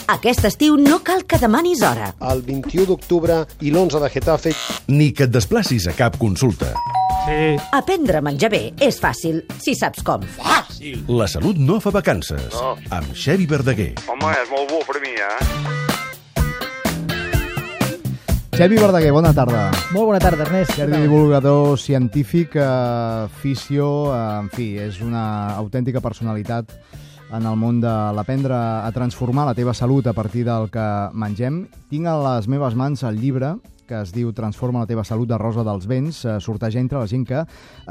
Aquest estiu no cal que demanis hora. El 21 d'octubre i l'11 de Getafe. Ni que et desplacis a cap consulta. Sí. Aprendre a menjar bé és fàcil, si saps com. Fàcil. La salut no fa vacances. No. Amb Xevi Verdaguer. Home, és molt bo per mi, Xevi Verdaguer, bona tarda. Molt bona tarda, Ernest. Divulgador científic, fisio, en fi, és una autèntica personalitat en el món de l'aprendre a transformar la teva salut a partir del que mengem. Tinc a les meves mans el llibre que es diu Transforma la teva salut, de Rosa dels Vents. Sortejar entre la gent que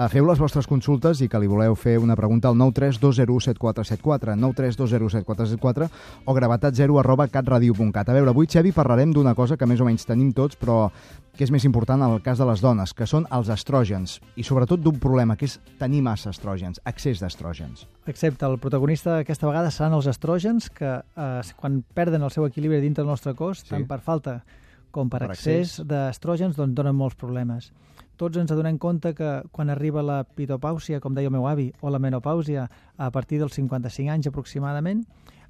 feu les vostres consultes i que li voleu fer una pregunta al 932017474, 932017474 o gravatat0@catradio.cat. A veure, avui, Xevi, parlarem d'una cosa que més o menys tenim tots, però que és més important en el cas de les dones, que són els estrògens, i sobretot d'un problema, que és tenir massa estrògens, excés d'estrògens. Excepte el protagonista aquesta vegada seran els estrògens, que quan perden el seu equilibri dintre del nostre cos, tant per falta com per excés d'estrògens, doncs donen molts problemes. Tots ens adonem compte que quan arriba la pitopàusia, com deia el meu avi, o la menopàusia, a partir dels 55 anys aproximadament,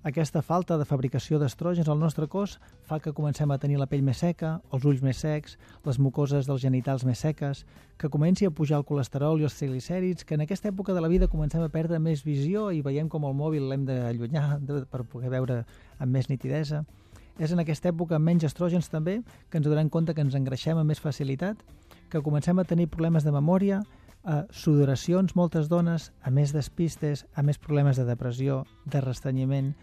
aquesta falta de fabricació d'estrògens al nostre cos fa que comencem a tenir la pell més seca, els ulls més secs, les mucoses dels genitals més seques, que comenci a pujar el colesterol i els triglicèrids, que en aquesta època de la vida comencem a perdre més visió i veiem com el mòbil l'hem d'allunyar per poder veure amb més nitidesa. És en aquesta època amb menys estrògens també que ens donem compte que ens engreixem amb més facilitat, que comencem a tenir problemes de memòria, sudoracions, moltes dones, a més despistes, a més problemes de depressió, de restrenyiment.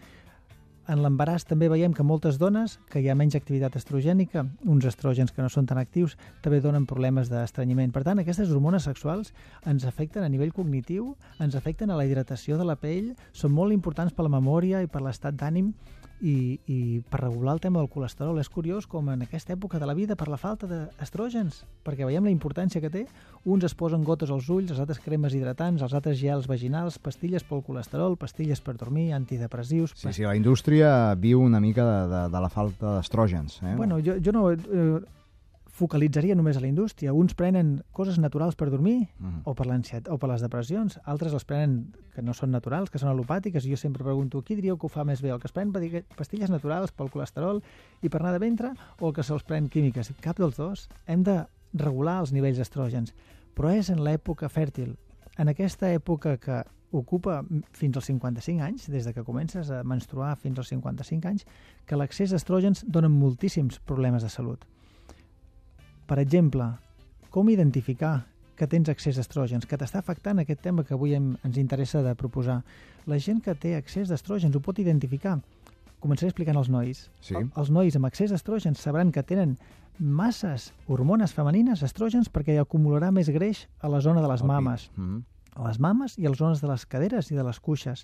En l'embaràs també veiem que moltes dones, que hi ha menys activitat estrogènica, uns estrògens que no són tan actius, també donen problemes d'estrenyiment. Per tant, aquestes hormones sexuals ens afecten a nivell cognitiu, ens afecten a la hidratació de la pell, són molt importants per la memòria i per l'estat d'ànim i per regular el tema del colesterol. És curiós com en aquesta època de la vida, per la falta d'estrògens, perquè veiem la importància que té, uns es posen gotes als ulls, els altres cremes hidratants, els altres gels vaginals, pastilles pel colesterol, pastilles per dormir, antidepressius. Sí, la indústria viu una mica de la falta d'estrògens. Bueno, jo no focalitzaria només a la indústria. Uns prenen coses naturals per dormir o per l'ansietat o per les depressions, altres les prenen que no són naturals, que són alopàtiques, i jo sempre pregunto, qui diríeu que ho fa més bé, el que es pren pastilles naturals pel colesterol i per anar de ventre, o el que se'ls pren químiques? Cap dels dos. Hem de regular els nivells d'estrògens, però és en l'època fèrtil, en aquesta època que ocupa fins als 55 anys, des de que comences a menstruar fins als 55 anys, que l'accés d'estrògens donen moltíssims problemes de salut. Per exemple, com identificar que tens excés d'estrògens, que t'està afectant aquest tema que avui ens interessa de proposar. La gent que té excés d'estrògens ho pot identificar. Començaré explicant als nois. Sí. Els nois amb excés d'estrògens sabran que tenen masses hormones femenines, estrògens, perquè acumularà més greix a la zona de les mames. A les mames i a les zones de les caderes i de les cuixes.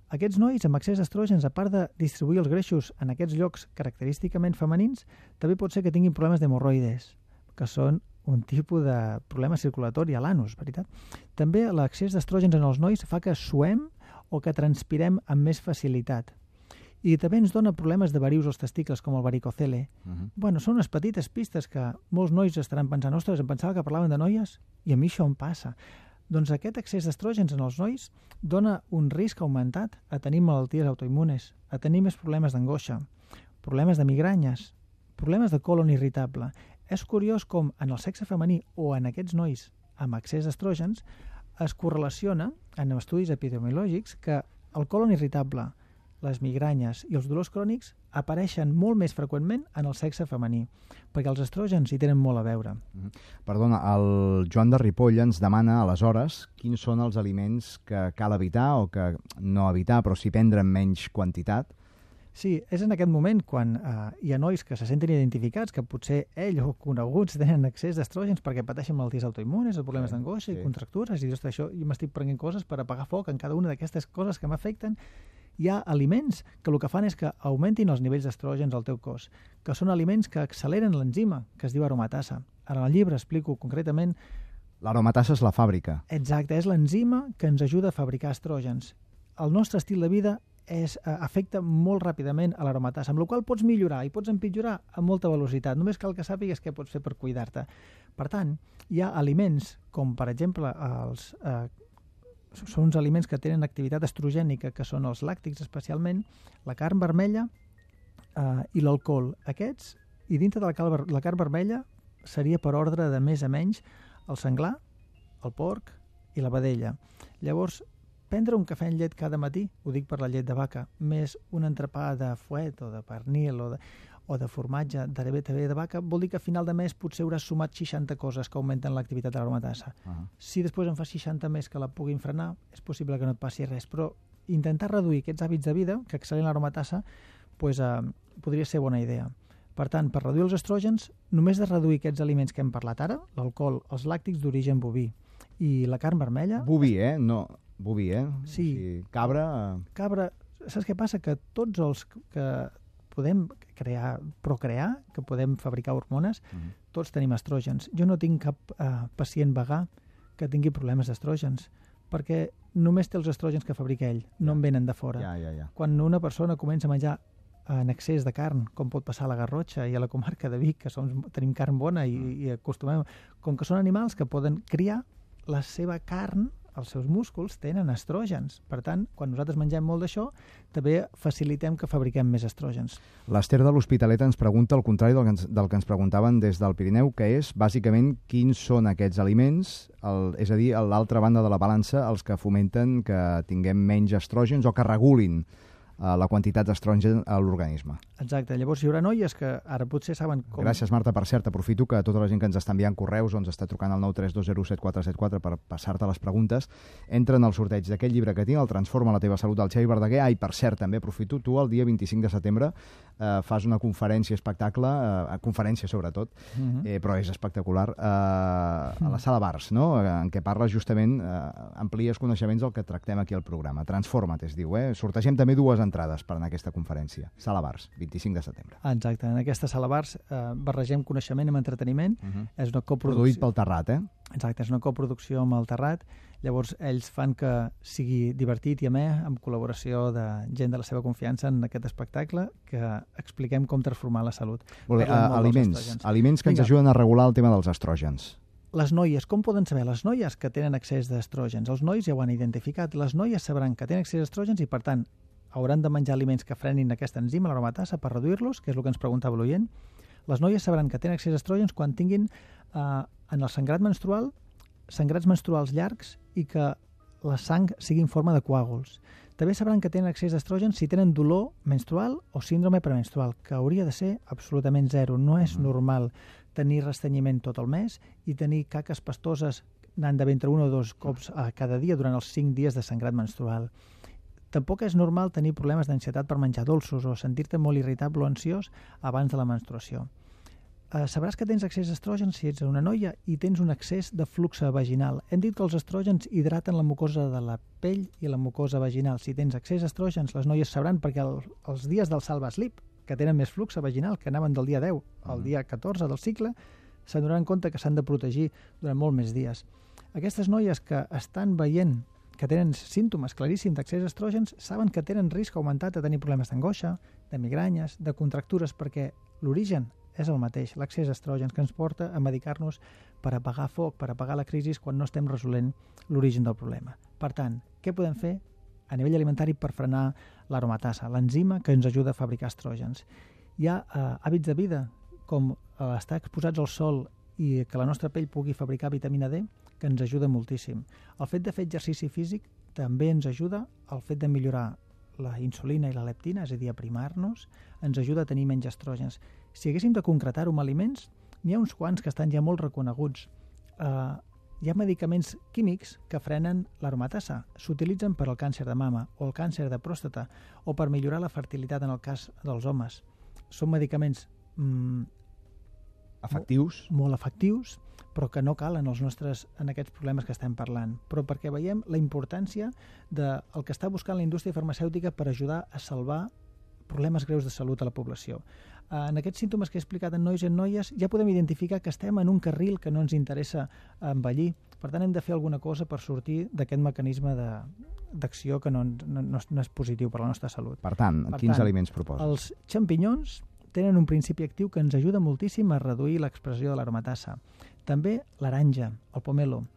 Aquests nois amb excés d'estrògens, a part de distribuir els greixos en aquests llocs característicament femenins, també pot ser que tinguin problemes d'hemorroides, que són un tipus de problema circulatori a l'anus, veritat? També l'excés d'estrògens en els nois fa que suem o que transpirem amb més facilitat. I també ens dona problemes de varius als testicles, com el varicocele. Bueno, són unes petites pistes que molts nois estaran pensant, ostres, em pensava que parlaven de noies i a mi això em passa. Doncs aquest excés d'estrògens en els nois dona un risc augmentat a tenir malalties autoimmunes, a tenir més problemes d'angoixa, problemes de migranyes, problemes de colon irritable. És curiós com en el sexe femení o en aquests nois amb excés d'estrògens es correlaciona en estudis epidemiològics que el colon irritable, les migranyes i els dolors crònics apareixen molt més freqüentment en el sexe femení, perquè els estrògens hi tenen molt a veure. Perdona, el Joan de Ripoll ens demana, aleshores, quins són els aliments que cal evitar o que no evitar, però sí prendre en menys quantitat. Sí, és en aquest moment quan hi ha nois que se senten identificats, que potser ell o coneguts tenen excés d'estrògens perquè pateixen malalties autoimmunes, problemes d'angoixa i contractures, i tot això, i m'estic prenent coses per apagar foc en cada una d'aquestes coses que m'afecten. Hi ha aliments que el que fan és que augmentin els nivells d'estrògens al teu cos, que són aliments que acceleren l'enzima, que es diu aromatasa. Ara en el llibre explico concretament... L'aromatasa és la fàbrica. Exacte, és l'enzima que ens ajuda a fabricar estrògens. El nostre estil de vida afecta molt ràpidament a l'aromatasa, amb la qual pots millorar i pots empitjorar a molta velocitat. Només cal que sàpigues què pots fer per cuidar-te. Per tant, hi ha aliments com, per exemple, són uns aliments que tenen activitat estrogènica, que són els làctics especialment, la carn vermella i l'alcohol. Aquests, i dintre de la carn vermella, seria per ordre de més a menys el senglar, el porc i la vedella. Llavors, prendre un cafè amb llet cada matí, ho dic per la llet de vaca, més un entrepà de fuet o de pernil o de formatge de vaca, vol dir que a final de mes potser hauràs sumat 60 coses que augmenten l'activitat de l'aromatassa. Si després en fas 60 més que la puguin frenar, és possible que no et passi res, però intentar reduir aquests hàbits de vida que excel·len l'aromatassa podria ser bona idea. Per tant, per reduir els estrògens, només de reduir aquests aliments que hem parlat ara, l'alcohol, els làctics d'origen boví i la carn vermella... Boví, No, boví, Sí. O sigui, cabra... Cabra, saps què passa? Que tots els que podem procrear, que podem fabricar hormones, tots tenim estrògens. Jo no tinc cap pacient vegà que tingui problemes d'estrògens, perquè només té els estrògens que fabrica ell, no en venen de fora. Ja. Quan una persona comença a menjar en excés de carn, com pot passar a la Garrotxa i a la comarca de Vic, que tenim carn bona i acostumem... Com que són animals que poden criar, la seva carn, els seus músculs, tenen estrògens. Per tant, quan nosaltres mengem molt d'això, també facilitem que fabriquem més estrògens. L'Ester de l'Hospitalet ens pregunta el contrari del que ens preguntaven des del Pirineu, que és, bàsicament, quins són aquests aliments, és a dir, a l'altra banda de la balança, els que fomenten que tinguem menys estrògens o que regulin la quantitat d'estrògen a l'organisme. Exacte. Llavors hi haurà noies que ara potser saben com... Gràcies, Marta. Per cert, aprofito que tota la gent que ens està enviant correus o ens està trucant al 932017474 per passar-te les preguntes, entra en el sorteig d'aquest llibre que tinc, el Transforma la teva salut, del Xavi Verdaguer. Per cert, també aprofito, tu el dia 25 de setembre fas una conferència espectacle, conferència sobretot, però és espectacular, a la Sala Bars, no? En què parles justament, amplies coneixements del que tractem aquí al programa. Transforma't, es diu. Sortegem també dues entrades per anar a aquesta conferència. Sala Bars, 25 de setembre. Exacte. En aquesta Sala Bars barregem coneixement amb entreteniment. És una coproducció... Produït pel Terrat, Exacte, és una coproducció amb el Terrat. Llavors, ells fan que sigui divertit i amè, amb col·laboració de gent de la seva confiança en aquest espectacle, que expliquem com transformar la salut. Molt bé, aliments que ens ajuden a regular el tema dels estrògens. Les noies, com poden saber? Les noies que tenen excés d'estrògens. Els nois ja ho han identificat. Les noies sabran que tenen excés d'estrògens i, per tant, hauran de menjar aliments que frenin aquesta enzima, l'aromatassa, per reduir-los, que és el que ens preguntava l'oient. Les noies sabran que tenen excés d'estrògens quan tinguin en el sangrat menstrual sangrats menstruals llargs i que la sang sigui en forma de coàguls. També sabran que tenen excés d'estrògens si tenen dolor menstrual o síndrome premenstrual, que hauria de ser absolutament zero. No és normal tenir restrenyiment tot el mes i tenir caques pastoses anant de ventre 1 o 2 cops cada dia durant els 5 dies de sangrat menstrual. Tampoc és normal tenir problemes d'ansietat per menjar dolços o sentir-te molt irritable o ansiós abans de la menstruació. Sabràs que tens excés d'estrògens si ets una noia i tens un excés de flux vaginal. Hem dit que els estrògens hidraten la mucosa de la pell i la mucosa vaginal. Si tens excés d'estrògens, les noies sabran, perquè els dies del Salva Sleep, que tenen més flux vaginal, que anaven del dia 10 al dia 14 del cicle, s'adonaran compte que s'han de protegir durant molt més dies. Aquestes noies que estan veient que tenen símptomes claríssims d'accés d'estrògens saben que tenen risc augmentat de tenir problemes d'angoixa, de migranyes, de contractures, perquè l'origen és el mateix, l'accés d'estrògens, que ens porta a medicar-nos per apagar foc, per apagar la crisi quan no estem resolent l'origen del problema. Per tant, què podem fer a nivell alimentari per frenar l'aromatassa, l'enzima que ens ajuda a fabricar estrògens? Hi ha hàbits de vida, com estar exposats al sol i que la nostra pell pugui fabricar vitamina D, que ens ajuda moltíssim. El fet de fer exercici físic també ens ajuda, el fet de millorar la insulina i la leptina, és a dir, aprimar-nos, ens ajuda a tenir menys estrògens. Si haguéssim de concretar-ho amb aliments, n'hi ha uns quants que estan ja molt reconeguts. Hi ha medicaments químics que frenen l'aromatassa. S'utilitzen per al càncer de mama o el càncer de pròstata o per millorar la fertilitat en el cas dels homes. Són medicaments efectius, molt efectius, però que no calen en aquests problemes que estem parlant. Però perquè veiem la importància del que està buscant la indústria farmacèutica per ajudar a salvar problemes greus de salut a la població. En aquests símptomes que he explicat en nois i en noies ja podem identificar que estem en un carril que no ens interessa envellir. Per tant, hem de fer alguna cosa per sortir d'aquest mecanisme d'acció que no és positiu per a la nostra salut. Per tant, quins aliments proposes? Els xampinyons tenen un principi actiu que ens ajuda moltíssim a reduir l'expressió de l'aromatassa. També l'aranja, el pomelo.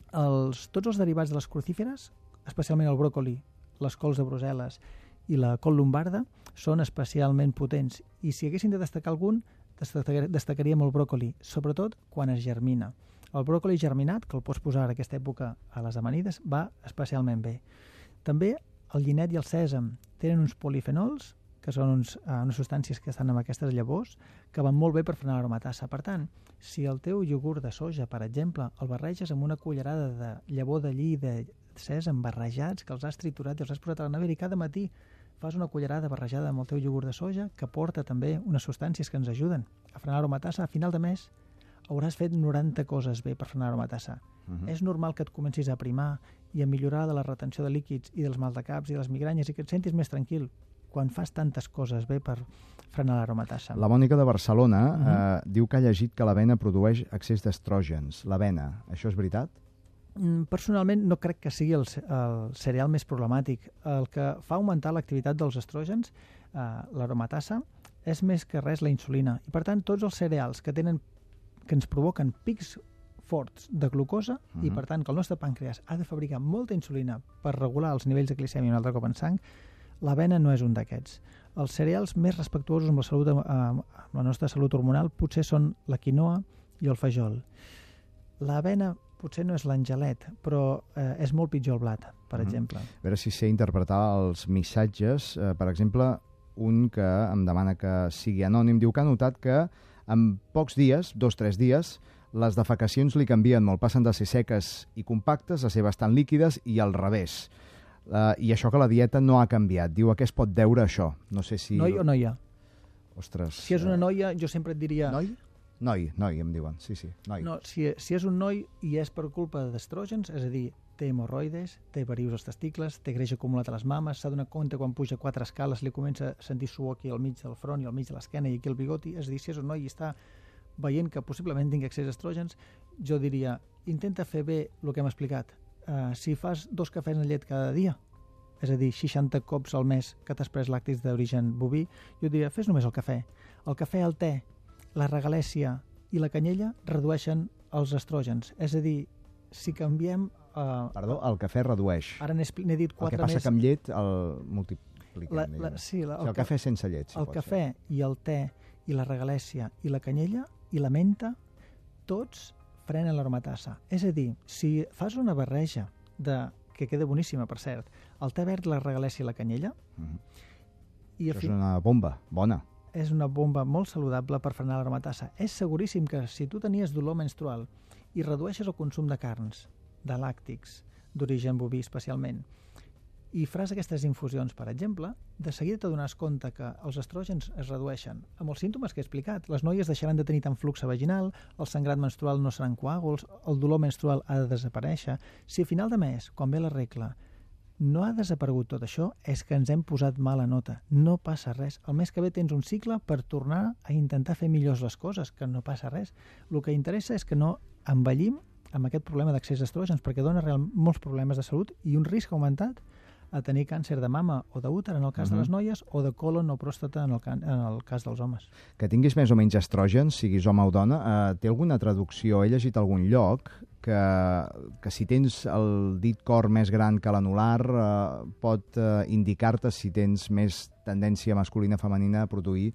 Tots els derivats de les crucíferes, especialment el bròcoli, les cols de Brussel·les i la col lombarda, són especialment potents. I si haguessin de destacar algun, destacaríem el bròcoli, sobretot quan es germina. El bròcoli germinat, que el pots posar en aquesta època a les amanides, va especialment bé. També el llinet i el sèsam tenen uns polifenols, que són unes substàncies que estan en aquestes llavors, que van molt bé per frenar l'aromatassa. Per tant, si el teu iogurt de soja, per exemple, el barreges amb una cullerada de llavor de lli i de sèsam barrejats, que els has triturat i els has posat a la nevera, i cada matí fas una cullerada barrejada amb el teu iogurt de soja, que porta també unes substàncies que ens ajuden a frenar l'aromatassa, a final de mes hauràs fet 90 coses bé per frenar l'aromatassa. És normal que et comencis a aprimar i a millorar de la retenció de líquids i dels maldecaps i de les migranyes i que et sentis més tranquil quan fas tantes coses bé per frenar l'aromatassa. La Mònica de Barcelona diu que ha llegit que l'avena produeix excés d'estrògens. L'avena, això és veritat? Personalment no crec que sigui el cereal més problemàtic. El que fa augmentar l'activitat dels estrògens, l'aromatassa, és més que res la insulina. I per tant, tots els cereals que ens provoquen pics forts de glucosa i per tant que el nostre pàncreas ha de fabricar molta insulina per regular els nivells de glicèmia un altre cop en sang, l'avena no és un d'aquests. Els cereals més respectuosos amb la salut, amb la nostra salut hormonal potser són la quinoa i el fajol. L'avena potser no és l'angelet, però és molt pitjor el blat, per exemple. A veure si sé interpretar els missatges. Per exemple, un que em demana que sigui anònim, diu que ha notat que en pocs dies, 2-3 dies, les defecacions li canvien molt, passen de ser seques i compactes a ser bastant líquides i al revés. I això que la dieta no ha canviat. Diu, a què es pot deure això? No sé si... Noi o noia? Ostres... Si és una noia, jo sempre et diria... Noi? Noi, em diuen. Sí, noi. No, si és un noi i és per culpa d'estrògens, és a dir, té hemorroides, té varius als testicles, té greix acumulat a les mames, s'ha donat compte quan puja 4 escales, li comença a sentir suor aquí al mig del front i al mig de l'esquena i aquí al bigoti, és a dir, si és un noi i està veient que possiblement tingui excés d'estrògens, jo diria, intenta fer bé el que hem explicat. Si fas 2 cafès amb llet cada dia, és a dir, 60 cops al mes que t'has pres làctics d'origen boví, jo diria, fes només el cafè. El cafè, el te, la regalèssia i la canyella redueixen els estrògens. És a dir, si canviem... Perdó, el cafè redueix. Ara n'he dit 4 més... El que passa que amb llet el multipliquem. El cafè sense llet, si el cafè i el te i la regalèssia i la canyella i la menta, tots frenen l'aromatassa. És a dir, si fas una barreja que queda boníssima, per cert, el te verd, la regalèssia i la canyella... Això és una bomba, bona. És una bomba molt saludable per frenar l'aromatassa. És seguríssim que si tu tenies dolor menstrual i redueixes el consum de carns, de làctics, d'origen boví especialment, i faràs aquestes infusions, per exemple, de seguida t'adonaràs compte que els estrògens es redueixen amb els símptomes que he explicat. Les noies deixaran de tenir tant flux vaginal, el sangrat menstrual no seran coàguls, el dolor menstrual ha de desaparèixer. Si a final de mes, quan ve la regla, no ha desaparegut tot això, és que ens hem posat mala nota. No passa res. El mes que ve tens un cicle per tornar a intentar fer millors les coses, que no passa res. El que interessa és que no envellim amb aquest problema d'accés d'estrògens, perquè dona molts problemes de salut i un risc augmentat a tenir càncer de mama o d'úter en el cas de les noies o de colon o pròstata en el cas dels homes. Que tinguis més o menys estrògens, siguis home o dona, té alguna traducció? He llegit a algun lloc que si tens el dit cor més gran que l'anular pot indicar-te si tens més tendència masculina o femenina a produir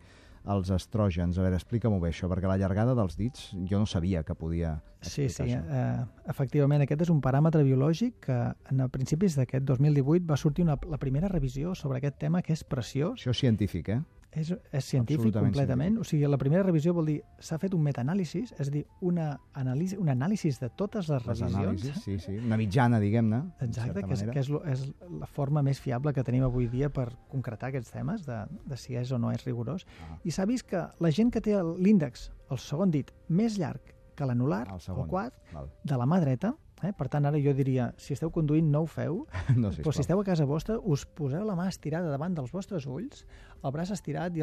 els estrògens. A veure, explica-m'ho bé això, perquè la llargada dels dits jo no sabia que podia explicar això. Efectivament, aquest és un paràmetre biològic que a principis d'aquest 2018 va sortir la primera revisió sobre aquest tema, que és preciós. Això és científic, És científic completament. O sigui, la primera revisió vol dir, s'ha fet un metaanàlisi, és a dir, un anàlisi de totes les revisions. Sí, una mitjana, diguem-ne. Exacte, que és la forma més fiable que tenim avui dia per concretar aquests temes, de si és o no és rigorós. I s'ha vist que la gent que té l'índex, el segon dit, més llarg que l'anular, el quart, de la mà dreta, per tant, ara jo diria, si esteu conduint no ho feu, però si esteu a casa vostra, us poseu la mà estirada davant dels vostres ulls, el braç estirat i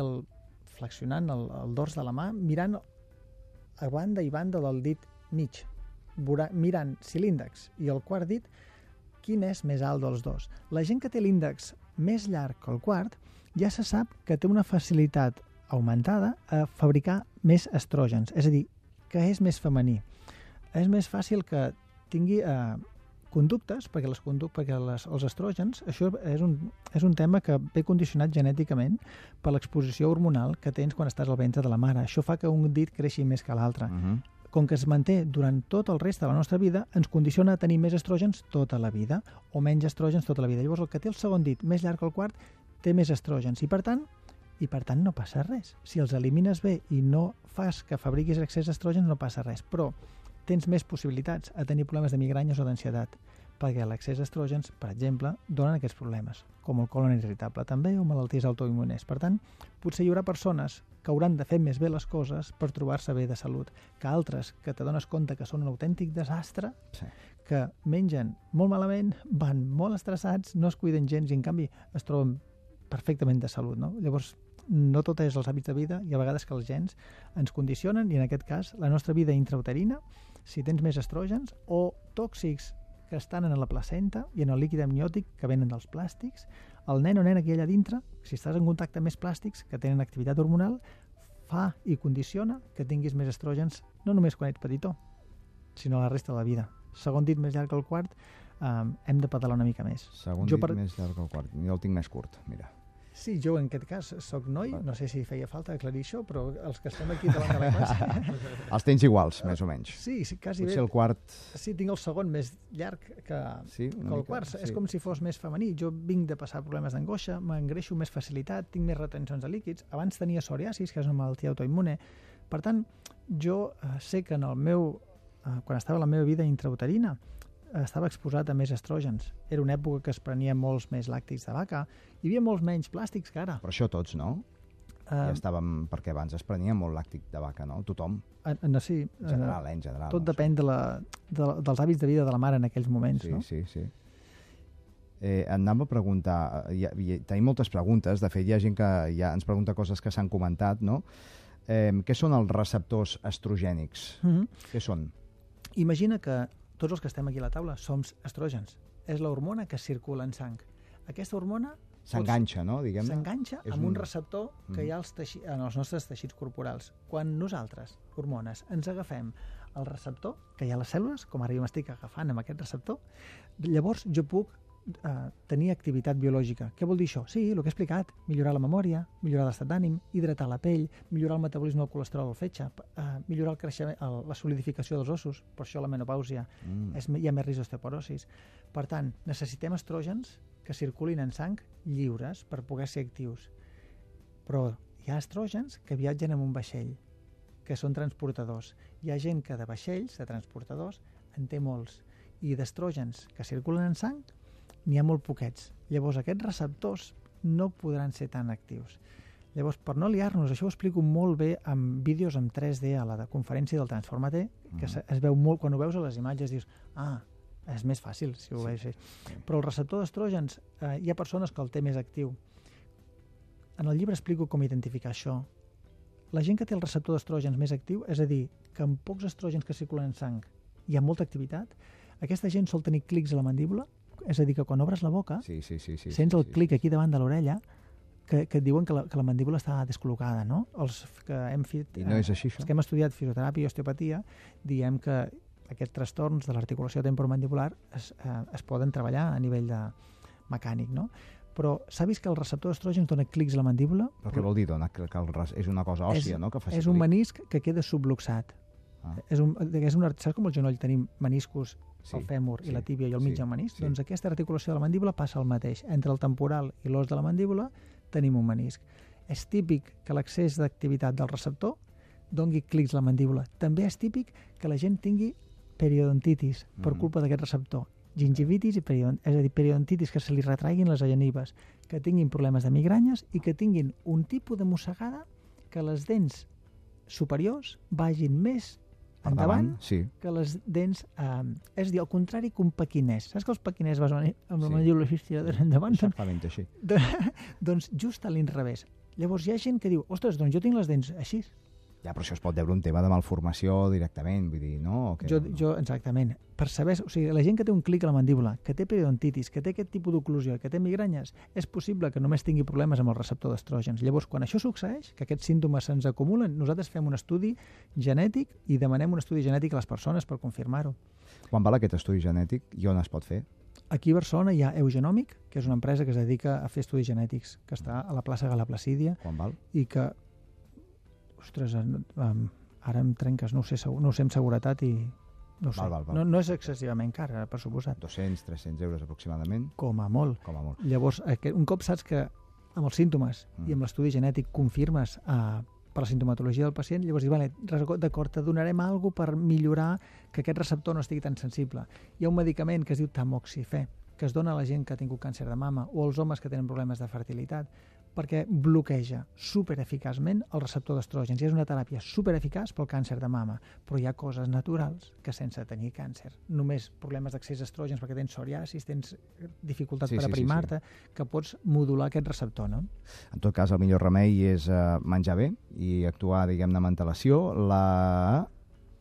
flexionant el dors de la mà, mirant a banda i banda del dit mig, mirant si l'índex i el quart dit, quin és més alt dels dos. La gent que té l'índex més llarg que el quart ja se sap que té una facilitat augmentada a fabricar més estrògens, és a dir, que és més femení. És més fàcil que tingui conductes, perquè els estrògens, això és un tema que ve condicionat genèticament per l'exposició hormonal que tens quan estàs al ventre de la mare. Això fa que un dit creixi més que l'altre. Com que es manté durant tot el reste de la nostra vida, ens condiciona a tenir més estrògens tota la vida, o menys estrògens tota la vida. Llavors, el que té el segon dit més llarg que el quart té més estrògens, i per tant no passa res. Si els elimines bé i no fas que fabriquis excés d'estrògens, no passa res. Però tens més possibilitats a tenir problemes de migranyes o d'ansietat, perquè l'excés d'estrògens, per exemple, donen aquests problemes, com el colon irritable també, o malalties autoimmunes. Per tant, potser hi haurà persones que hauran de fer més bé les coses per trobar-se bé de salut, que altres que t'adones compte que són un autèntic desastre, que mengen molt malament, van molt estressats, no es cuiden gens i, en canvi, es troben perfectament de salut, no? Llavors, no tot és els hàbits de vida, i a vegades que els gens ens condicionen, i en aquest cas, la nostra vida intrauterina, si tens més estrògens, o tòxics que estan en la placenta i en el líquid amniòtic que venen dels plàstics, el nen o nena que hi ha allà dintre, si estàs en contacte amb més plàstics que tenen activitat hormonal, fa i condiciona que tinguis més estrògens, no només quan ets petitó, sinó la resta de la vida. Segon dit més llarg que el quart, hem de pedalar una mica més. Segon dit més llarg que el quart. Jo el tinc més curt, mira. Sí, jo en aquest cas soc noi, no sé si feia falta aclarir això, però els que estem aquí davant de la classe... Els tens iguals, més o menys. Sí, quasi bé. Potser el quart... Sí, tinc el segon més llarg que el quart. Sí. És com si fos més femení. Jo vinc de passar problemes d'angoixa, m'engreixo amb més facilitat, tinc més retencions de líquids. Abans tenia psoriasis, que és una malaltia autoimmune. Per tant, jo sé que quan estava a la meva vida intrauterina, estava exposat a més estrògens. Era una època que es prenia molts més làctics de vaca. Hi havia molts menys plàstics que ara. Però això tots, no? Ja estàvem... Perquè abans es prenia molt làctic de vaca, no? Tothom. Sí. En general. Tot depèn dels hàbits de vida de la mare en aquells moments, no? Sí. Anàvem a preguntar... Tenim moltes preguntes. De fet, hi ha gent que ja ens pregunta coses que s'han comentat, no? Què són els receptors estrogènics? Què són? Imagina que tots els que estem aquí a la taula som estrògens. És l'hormona que circula en sang. Aquesta hormona... S'enganxa, no? S'enganxa amb un receptor que hi ha en els nostres teixits corporals. Quan nosaltres, hormones, ens agafem el receptor, que hi ha a les cèl·lules, com ara jo m'estic agafant amb aquest receptor, llavors jo puc tenir activitat biològica. Què vol dir això? Sí, el que he explicat. Millorar la memòria, millorar l'estat d'ànim, hidratar la pell, millorar el metabolisme del colesterol al fetge, millorar el creixement, la solidificació dels ossos, per això la menopàusia, hi ha més risc d'osteoporosis. Per tant, necessitem estrògens que circulin en sang lliures per poder ser actius. Però hi ha estrògens que viatgen en un vaixell, que són transportadors. Hi ha gent que de vaixells, de transportadors, en té molts. I d'estrògens que circulen en sang n'hi ha molt poquets. Llavors, aquests receptors no podran ser tan actius. Llavors, per no liar-nos, això ho explico molt bé amb vídeos en 3D a la conferència del Transforma-T, que es veu molt, quan ho veus a les imatges dius, és més fàcil si ho veus. Però el receptor d'estrògens, hi ha persones que el té més actiu. En el llibre explico com identificar això. La gent que té el receptor d'estrògens més actiu, és a dir, que amb pocs estrògens que circulen en sang hi ha molta activitat, aquesta gent sol tenir clics a la mandíbula, és a dir, que quan obres la boca sents el clic aquí davant de l'orella que et diuen que la mandíbula està descol·locada, no? Els que hem fet, I no és així, això? Els que hem estudiat fisioteràpia i osteopatia diem que aquests trastorns de l'articulació temporomandibular es poden treballar a nivell de mecànic, no? Però s'ha vist que el receptor d'estrògens dona clics a la mandíbula. Però què vol dir? És una cosa òssia, no? És un menisc que queda subluxat. Saps com al genoll tenim meniscos, el fèmur i la tíbia i el mig menisc? Doncs aquesta articulació de la mandíbula passa el mateix. Entre el temporal i l'os de la mandíbula tenim un menisc. És típic que l'excés d'activitat del receptor doni clics a la mandíbula. També és típic que la gent tingui periodontitis per culpa d'aquest receptor. Gingivitis, és a dir, periodontitis, que se li retraiguin les genives, que tinguin problemes de migranyes i que tinguin un tipus de mossegada que les dents superiors vagin més endavant que les dents... És a dir, al contrari que un pequinès. Saps que els pequinès vas amb la mandíbula estirada endavant? Exactament així. Doncs just a l'inrevés. Llavors hi ha gent que diu, ostres, doncs jo tinc les dents així. Ja, però això es pot veure un tema de malformació directament, vull dir, no? Exactament. Per saber, o sigui, la gent que té un clic a la mandíbula, que té periodontitis, que té aquest tipus d'oclusió, que té migranyes, és possible que només tingui problemes amb el receptor d'estrògens. Llavors, quan això succeeix, que aquests símptomes se'ns acumulen, nosaltres fem un estudi genètic i demanem un estudi genètic a les persones per confirmar-ho. Quan val aquest estudi genètic i on es pot fer? Aquí a Barcelona hi ha Eugenòmic, que és una empresa que es dedica a fer estudis genètics, que està a la plaça Gala Placídia. Quan val? I que, ostres, ara em trenques, no ho sé amb seguretat i no ho sé. Val. No és excessivament car, per suposat. 200-300 euros aproximadament? Com a molt. Llavors, un cop saps que amb els símptomes i amb l'estudi genètic confirmes per la sintomatologia del pacient, llavors dius, vale, d'acord, te donarem alguna cosa per millorar que aquest receptor no estigui tan sensible. Hi ha un medicament que es diu tamoxifè, que es dona a la gent que ha tingut càncer de mama o als homes que tenen problemes de fertilitat, perquè bloqueja supereficaçment el receptor d'estrògens. I és una teràpia supereficaç pel càncer de mama, però hi ha coses naturals que sense tenir càncer, només problemes d'accés a estrògens perquè tens psoriasis, tens dificultat per aprimar-te, que pots modular aquest receptor, no? En tot cas, el millor remei és menjar bé i actuar, diguem-ne, amb antelació.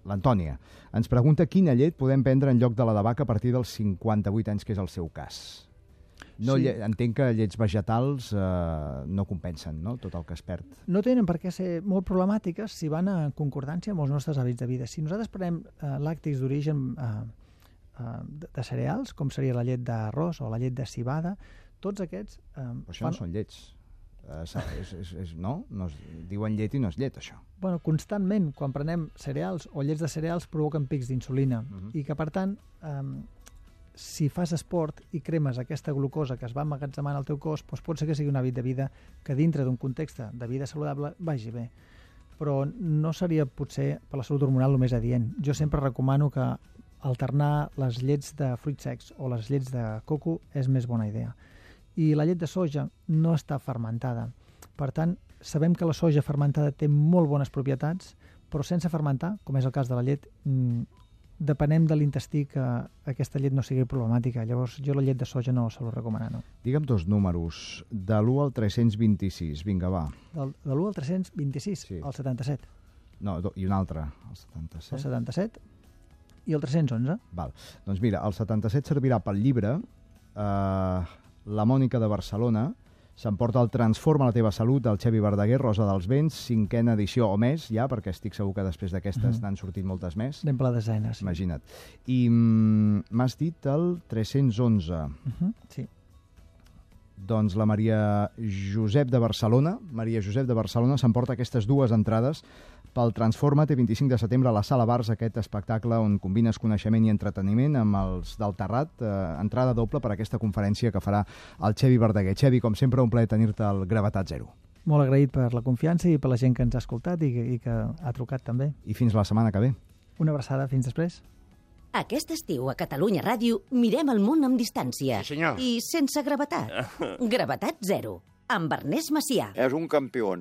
L'Antònia ens pregunta quina llet podem prendre en lloc de la de vaca a partir dels 58 anys, que és el seu cas. Entenc que llets vegetals no compensen, no?, tot el que es perd. No tenen per què ser molt problemàtiques si van en concordància amb els nostres hàbits de vida. Si nosaltres prenem làctics d'origen de cereals, com seria la llet d'arròs o la llet de civada, tots aquests... Però això no són llets. No? Diuen llet i no és llet, això. Bueno, constantment, quan prenem cereals o llets de cereals, provoquen pics d'insulina i que, per tant, si fas esport i cremes aquesta glucosa que es va emmagatzemant al teu cos, doncs pot ser que sigui un hàbit de vida que dintre d'un context de vida saludable vagi bé. Però no seria potser per la salut hormonal el més adient. Jo sempre recomano que alternar les llets de fruits secs o les llets de coco és més bona idea. I la llet de soja no està fermentada. Per tant, sabem que la soja fermentada té molt bones propietats, però sense fermentar, com és el cas de la llet, depenem de l'intestí que aquesta llet no sigui problemàtica. Llavors, jo la llet de soja no se l'ho recomano, no. Digue'm dos números, de l'1 al 326, vinga, va. De l'1 al 326, sí. El 77. No, i un altre, el 77. El 77 i el 311. Val. Doncs mira, el 77 servirà pel llibre La Mònica de Barcelona, s'emporta el Transforma la teva salut del Xevi Verdaguer, Rosa dels Vents, 5a edició o més, ja, perquè estic segur que després d'aquestes n'han sortit moltes més. Anem per la desena, sí. Imagina't. I m'has dit el 311. Sí. Doncs la Maria Josep de Barcelona s'emporta aquestes dues entrades pel Transforma't 25 de setembre a la Sala Bars, aquest espectacle on combines coneixement i entreteniment amb els del Terrat, entrada doble per aquesta conferència que farà el Xevi Verdaguer. Xevi, com sempre, un plaer tenir-te al Gravetat Zero. Molt agraït per la confiança i per la gent que ens ha escoltat i que ha trucat també. I fins la setmana que ve. Una abraçada, fins després. Aquest estiu a Catalunya Ràdio mirem el món amb distància. Sí, senyor. I sense gravetat. Gravetat Zero, amb Ernest Macià. És un campió.